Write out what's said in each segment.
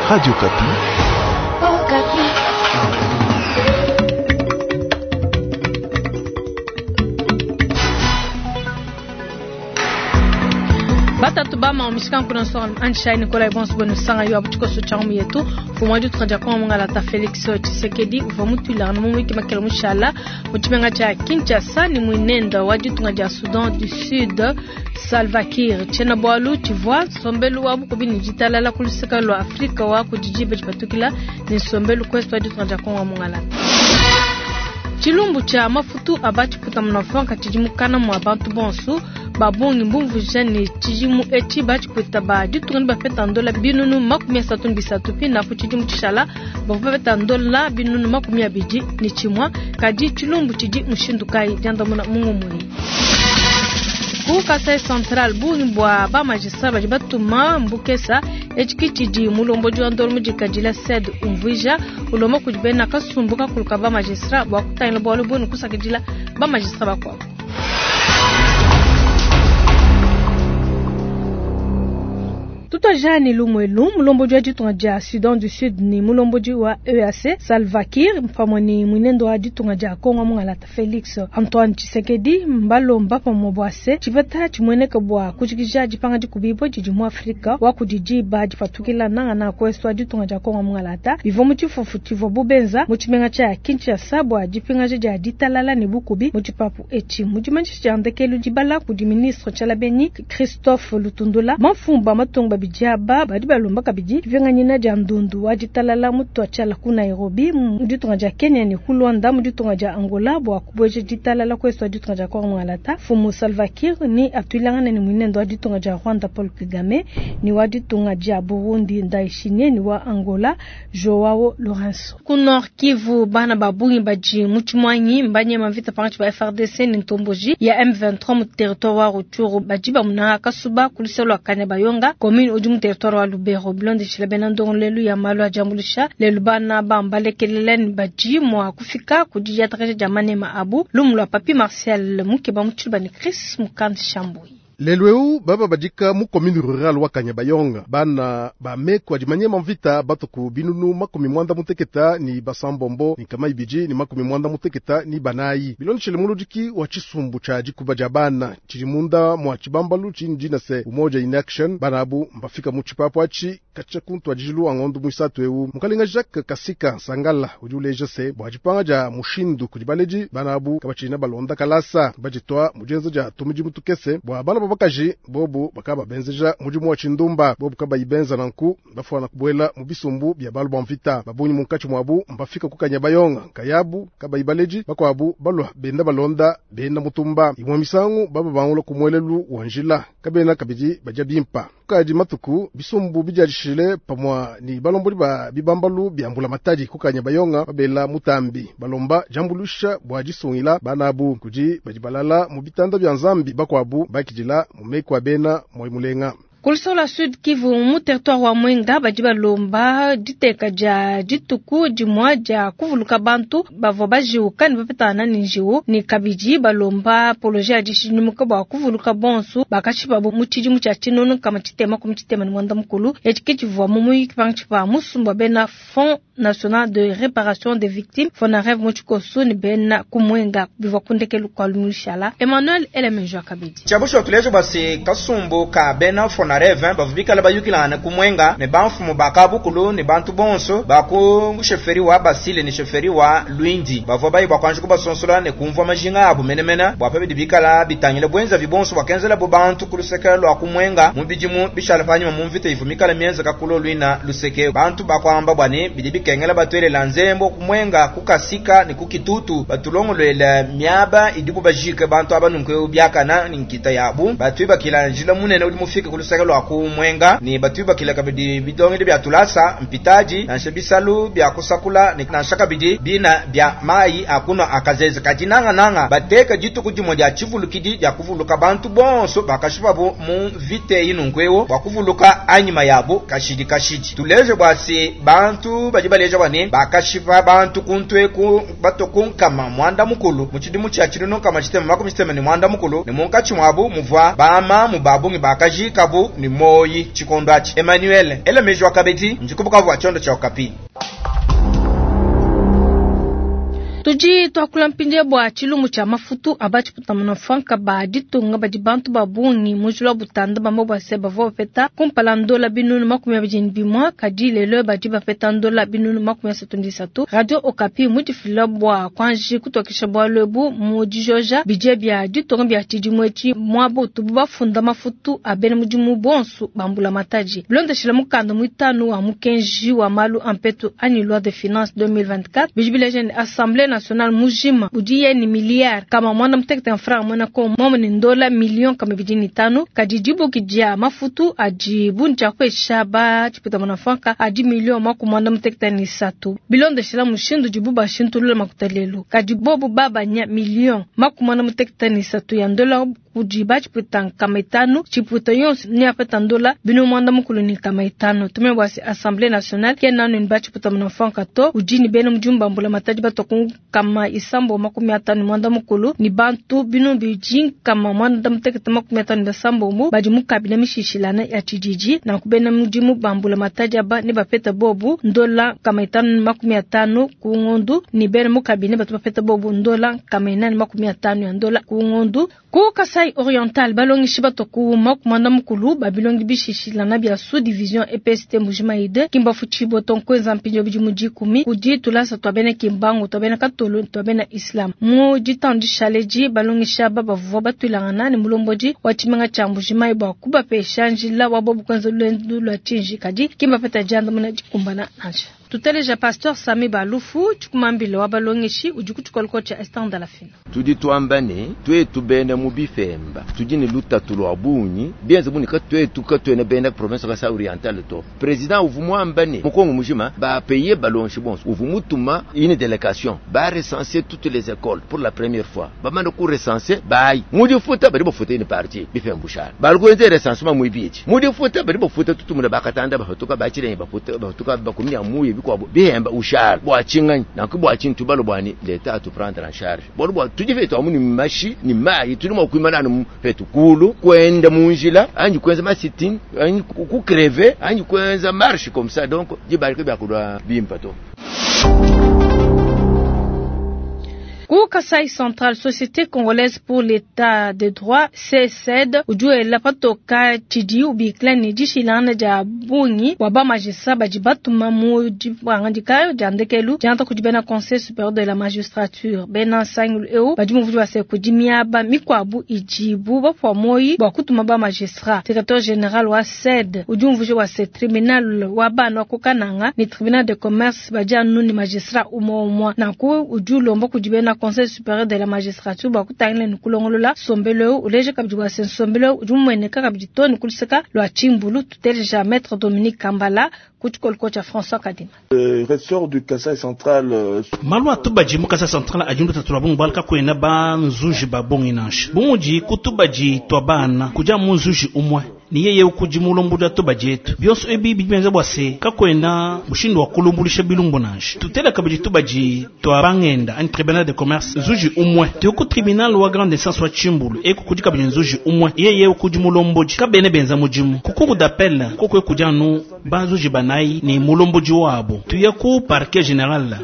Radio Okapi. Okapi. Batatu bama omishika kuna so anshai Nikolai bonso bwenu sanga yo abuchikoso changu yetu fumwa du tranja kwa mungala ta Felix Tshisekedi uva mutwila no mwiki makela mushala muchimenga cha Kinshasa ni mwinenda wa ditunga dia Sudan du Sud Salva Kiir chena bwalu chivwa sombelu wa bukubi ni jitalala kuluseka lwa Afrika wa kujijibe chipatukila ni sombelu kwestu wa ditunga dia Kongo mungala Chilumbu cha mafutu abachiputa munafanka chijimukana mwa bantu bonsu babongi mbumvuja ni chijimu echi bachiputa ba ditunga ni bapeta ndola binunu 33 pina ku chijimu chishala bavua bapeta ndola binunu 21 kadi chilumbu chidi mushindu kai diandamuna mungumui ku Kasai Central bungi bwa ba magistrat badi batuma mbukesa echiki chidi mulombodi wa ndolo mudikadila sed umvuija ulomba kudi bena kasumbu kakulu ba magistrat bwa kutangila bwalu bwenu kusakidila ba magistrat bakuabu. Tutojani lumwelu mulombodi wa ditunga dia Sudan du Sud ni mulombodi wa EAC Salva Kiir pamwe ni mwinendo wa ditunga dia Kongo mungalata Felix Antoine Tshisekedi mbalomba pamwe bwase chipeta chimweneka bwa kujikija dipanga dikubibo didi mu Afrika wa kudidiba dipatukila nanga na kwesu wa ditunga dia Kongo mungalata bivo mu tshifufu tshivua bubenza mu tshimenga tshia Kinshasa bwa dipingaja dia ditalala ne bukubi mu tshipapu etshi mu dimanyisha dia ndekelu dibala kudi ministre Tshialabeni Christophe Lutundula mafumba matunga babidi aba badi balomba kabidi dipinganyina dia ndundu wa ditalala mutu atshiala ku Nairobi mu ditunga dia Kenya ne ku Luanda mu ditunga dia Angola bua kubueja ditalala kwesu wa ditunga dia Kongo Ngalata. Fumu Salva Kiir ni atuilangana ne mwinendo wa ditunga dia Rwanda Paul Kagame ni wa ditunga dia Burundi Ndayishimiye ni wa Angola Joao Lourenço. Ku Nord Kivu bana babungi badi mu tshimwanyi mbanyema mvita pangatshi ba FARDC ni ntomboji ya M23 mu territoire wa Rutshuru badi bamuna kasuba ku luseke lua Kanyabayonga commune udi mu territoire wa Lubero bilondeshila bena ndongolelu ya malu a diambuluisha lelu bana bambalekelele ni badi mua kufika ku didiatakaja dia manema abu lumu lua Papi Martial mukeba mu tshiluba ni Chris Mukandi Shambui. Lelu eu baba badika mu commune rurale wa Kanyabayonga bana bameko adi manyema mvita batuku binunu 86 ni basambombo ni kama ibiji ni 96 ni banayi bilondeshele muludiki wa tshisumbu tshia dikuba dia bana tshidi munda mwa tshibambalu tshini dina se umoja in action bana abu mbafika mu tshipapu atshi katshia kuntu adijilu angondo muisatu eu mukalenga Jacques Kasika Sangala udi uleja se bua dipanga dia mushindu kudi baledi bana abu kabatshina balonda kalasa baditwa mudienza dia tumudimu tukese bua bana babakaji bobu bakaba benzeja mudimu wa tshindumba bobu kabayi benza nanku bafuana kubuela mu bisumbu bia balu ba mvita babunyi munkatshi muabu mbafika ku Kanyabayonga nkayabu kabayi baleji bakuabu balua benda balonda benda mutumba imwe misangu baba bangula ku muelelu wa njila kabena kabidi badia bimpa kukadi matuku bisumbu bidiadishile pamua ni balombodi ba bibambalu bia mbula matadi ku Kanyabayonga babela mutambi balomba diambulusha bua disungila bana abu kudi badi balala mu bitanda bia nzambi bakuabu bakidila mu meku a bena moi mulenga. Ku luseke lua Sud Kivu mu territoire wa Mwenga badi balomba diteka dia dituku dimua dia kuvuluka bantu bavua bajiwuka ne bapetana ne njiwu ne kabidi balomba poloje ya dishidimuka bua kuvuluka bonsu bakashipabu mu tshidimu tshia 1964 etshi ke tshivua mu muyuki pantshi pa musumba bena Fonds National de Réparation des Victimes FONAREV mu tshikoso ne bena ku Mwenga bivua ku ndekelu kua lumishala Emmanuel Elemenjo kabidi. Tshiabusha tuleja basi kasumbu ka bena FONAREV bavua bikala bayukilangana ku Mwenga ne bamfumu ba kabukulu ne bantu bonso ba ku sheferi wa Basile ne sheferi wa Luindi bavua bayi bua kuanji kubasonsola ne kumvua majinga abu menemene bua pa bidi bikala bitangila bwenzavi bonso bakenzela bo bantu ku luseke lua ku Mwenga mu bidimu bishala panyima mu mvita ivu mikala mienzeka kulo luina luseke bantu bakuamba bua ne bidi bikengela batuelela nzembo ku Mwenga ku Kasika ne ku Kitutu batulongolwela miaba idibu bajike bantu aba nunku biakana ne nkita yabu batuibakila njila munene udi mufike ku luseke lua ku Mwenga ne batuibakila kabidi bidongedi bia tulasa mpitaji nansha bisalu bia kusakula ne nansha kabidi bina bia mayi akunwa akazeze kadi nangananga bateka dituku dimue dia tshivulukidi dia kuvuluka bantu bonso bakashipabu mu mvita eyi nunku ewo bua kuvuluka anyima yabu kashidi kashidi tuleje bua se bantu badi baleja bua ne bakashipa bantu kuntu eku bato ku nkama mwanda mukulu mu tshidimu tshia 1964 ne munkatshi muabu muvua bamamu babungi bakajikabu. Uvuaku ne muoyi tshikondo atshi. Emmanuel, ela meji wa kabidi, ndi ku Bukavu wa tshiondo tshia Okapi. Tudi tuakula mpindieu bua tshilumbu tshia mafutu a batshiputamuna franka ba ditunga badi bantu ba bungi mu njila wa butanda bamba bua se bavua bapeta kumpala ndola 21.000, kadi lelo badi bapeta ndola 33.000. Radio Okapi mudifila bua kuanji kutokesha bualu ebu mu dijoja bidie bia ditunga bia tshidimu etshi muaba utubu bafunda mafutu a bena mudimu bonso ba mbulamatadi. Bilondeshile mukanda muitanu wa mukenji wa malu a mpetu anyi loi de finance 2024 bidi bileja ne Assemblée nationale mujima udiye ni miliyari kama mwana mutekete franc mwana ko momo ni ndola million kama 25, kadi dibuki dia mafutu adi bunja kwesha ba chipita mwana franka adi million maku mwana mutekete ni satu. Bilondeshela mushindu dibu bashintulula makuta lelu, kadi bobu babanya million maku mwana mutekete ni satu ya ndola kudi bachipita kama itanu chiputa yonso ni apeta ndola bino mwanda mukulu ni kama itanu. Tumebwasi Assemblée nationale kenanu ni bachipita mwana franka to ujini bena mjumba mbula mataji batoku kama isambo 50 mwanda mukulu ni bantu bino biji kama mwanda mutekete 57 mu badi mukabila mishishilana ya chijiji na kubena mudimu bambula mataji aba ne bapeta bobu ndola kama itanu 50 ku ngondu ni bena mukabine batu bapeta bobu ndola kama inani 50 ya ndola ku ngondu. Ku Kasai Oriental balongishi batoku makumanda mukulu babilongi bishishilana bya sous division EPST Mbujimayi kimba fuchibo tonkweza mpinjo bidi mujikumi kudi tulasa twabene kimbangu twabene katolo twabene islam mu ditandi shaleji balongisha baba batwilangana ni mulomboji wa chimenga cha Mbujimayi bwa kubapesha njila wa bobu kwenza lwendu lwa chinji kadi kimba peta janda muna dikumbana nansha. Tuteleja Pasteur Sami Balufu chikumambile wa balongeshi udi kuchikoloko cha Esther Ndalafina. Tudi tuamba ne twetu bena mu bifemba tudi ne lutatu lwa bunyi bienze buni ka twetu ka twene bena province Kasai Oriental to président uvu mwamba ne mukongo mujima ba payer balonshi bonso uvu mutuma une délégation ba recenser toutes les écoles pour la première fois ba manda ku recenser bai mudi futa bari bafuta une partie bifemba shara balwenze recensement mu ibiji mudi futa bari bafuta tutumuna bakatanda bafatuka bachirenge bafuta bafatuka bakumya muye bikwa bihemba ushara bwachinganyi nanku bwachintu balo bwani leta atu prendre en charge bolo bwa tujive to amuni mashi ni mayi tuli mwakwimana anu petu kulu kwenda munjila anyi kwenza masitin anyi ku crever anyi kwenza marche comme ça donc jibarike bya kulwa bimpa to. Ku Kasai Central, Société Congolaise pour l'État de Droit, CSED, ujue la patoka chidi ubikla ni jishilana ja bungi wa ba magistrat baji batuma mu jibangandika jandekelu janta kujibena Conseil supérieur de la magistrature bena sangulu eu baji muvuji wa se kujimiaba mikwabu ijibu bapwa moyi bwa kutuma ba magistrat. Secrétaire général wa CED ujue mvuji wa se tribunal wa bana kukananga ni tribunal de commerce baji anu ni magistrat umo umwa na ku ujue lombo kujibena Conseil supérieur de la magistrature bwa kutangila ni kulongolola sombelo uleje kabidi wa sensombelo ujumwene kabidi to ni kuliseka lwa chimbulu tuteleja maître Dominique Kambala kuchikoloko cha François Kadima. Ressort du Kasai Central malu atubaji mu Kasai Central ajundu tatula bungu balka kwena ba nzuji ba bongi nansha bumuji kutubaji twa bana kuja mu nzuji umwe ni yeye ukujimulombuda tubaji etu byonso ebi bibenza bwa se kakwena mushindu wa kulumbulisha bilumbu nansha tutela kabidi tubaji twa bangenda an tribunal de commerce nzuji umwe tuku tribunal wa grande instance wa chimbulu eku kudi kabidi nzuji umwe yeye ukujimulomboji kabene benza mujimu kukuru d'appel kokwe kujanu banzuji banayi ni mulomboji wabo tuya ku parquet général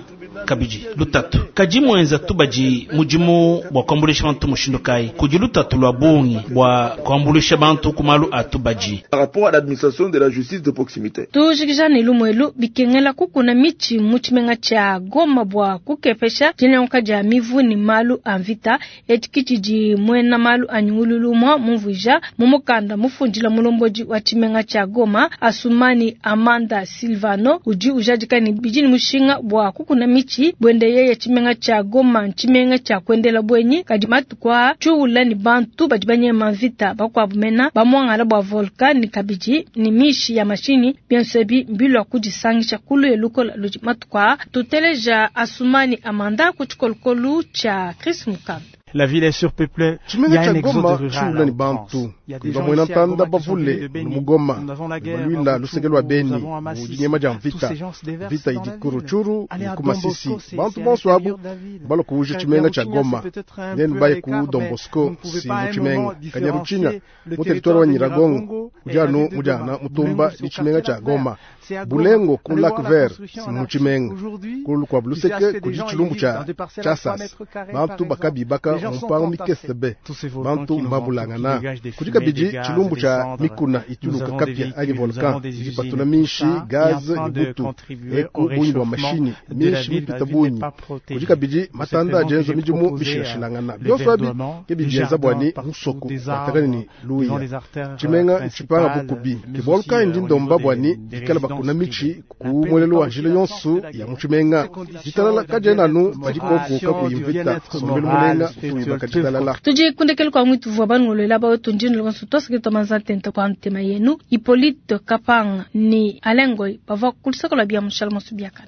kabidi lutatu kaji mwenza tubaji mujimu bwa kuambulisha bantu mushindu kai kudi lutatu lwa bungi bwa kuambulisha bantu kumalu atubaji par rapport à l'administration de la justice de proximité. Tujikija ni lumwelu bikengela kukuna michi muchimenga cha Goma bwa kukepesha jinyanka ja mivu ni malu amvita etikichiji mwena malu anyungululu mwa mumvuja mumukanda mufundila mulomboji wa chimenga cha Goma Asumani Amanda Silvano uji ujadika ni bijini mushinga bwa kukuna michi bwende yeye chimenga cha Goma chimenga cha kwendela bwenyi kadi matukwa chuula ni bantu bajibanye mavita bakwabumena bamwangala bwa volcan kabiji ni mishi ya mashini biensebi mbilwa kujisangisha kulu elukola luji matukwa tuteleja Asumani Amanda kuchikolokolu cha Chris Mukanda. La ville est surpeuplée. Il y Tshimenga a tshia un exode Goma rural tshiula à ni outrance. bantu Il y a des kudi gens bamwena ici à ntanda Goma qui sont venus bavule de Beni. mu Goma Nous avons la guerre balwila à luseke Rutshuru, lwa nous Beni avons à mu Masisi. dinyema dia Tous mvita ces gens se déversent mvita dans idi la ku ville. Rutshuru Aller ni à ku Don Masisi Bosco, c'est bantu c'est à bonso abu l'intérieur de la ville. balwa kuuja tshimenga tshia Kanyaruchinya, Goma c'est peut-être un nenu peu à baye ku l'écart, Don mais vous Bosco ne pouvez si pas à mu un tshimenga moment Kanyaruchinya différencier le mu territoire territoire wa de Nyiragongo Nyiragongo et kudi la anu ville de mujana Goma. mutumba Bulengo, c'est ni au tshimenga quartier tshia Lac Vert. Goma C'est à Goma. Bulengo ku Allez Lac voir la Vert construction si en mu archi. tshimenga Aujourd'hui, kulu kwa tu sais Luseke acheter des kudi gens, ils tshilumbu vivent tshia dans des parcelles à 3 tsha sasa mètres carrés, par bantu exemple. bakabibaka Les gens mu sont mpango entassés. mikese be Tous ces volcans bantu qui nous entourent, qui mbabulangana dégagent des kudi fumées, kabidi des gaz, tshilumbu des tshia cendres. mikuna Nous ituluka avons des kapia ayi véhicules, nous volcan avons des usines, ijipatula tout minshi ça est en gaz train ni de butu contribuer eku au bunyi bwa réchauffement mashini de la minshi ville. La mipita ville n'est bunyi pas kudi protégée. kabidi Pour cette matanda raison que ajenza j'ai midimu proposé mishilashilangana le byonso abi verdoiement, ke des bijenza bwani jardins partout, musoko des watakani ni arbres devant luya les artères tshimenga ntshipanga principales, bukubi mais ke bwalu aussi kayi ndi au ndomba niveau des, bwani des dikala bakuna résidences mitshi privées. ku mwelelo wa njila yonso ya mutshimenga ditalala kajena anu padikoko kakuyimvita bien-être sombelu moral, mulenga spirituel, utuyibaka ditalala Tudi kundekele kwa mwitu vua banungolola bawe tunjini lukonso twasakitwa manza tenta kwa ntema yenu Hippolyte Kapanga ni Alengoi bava kulisakola bia mushala mosu biakana.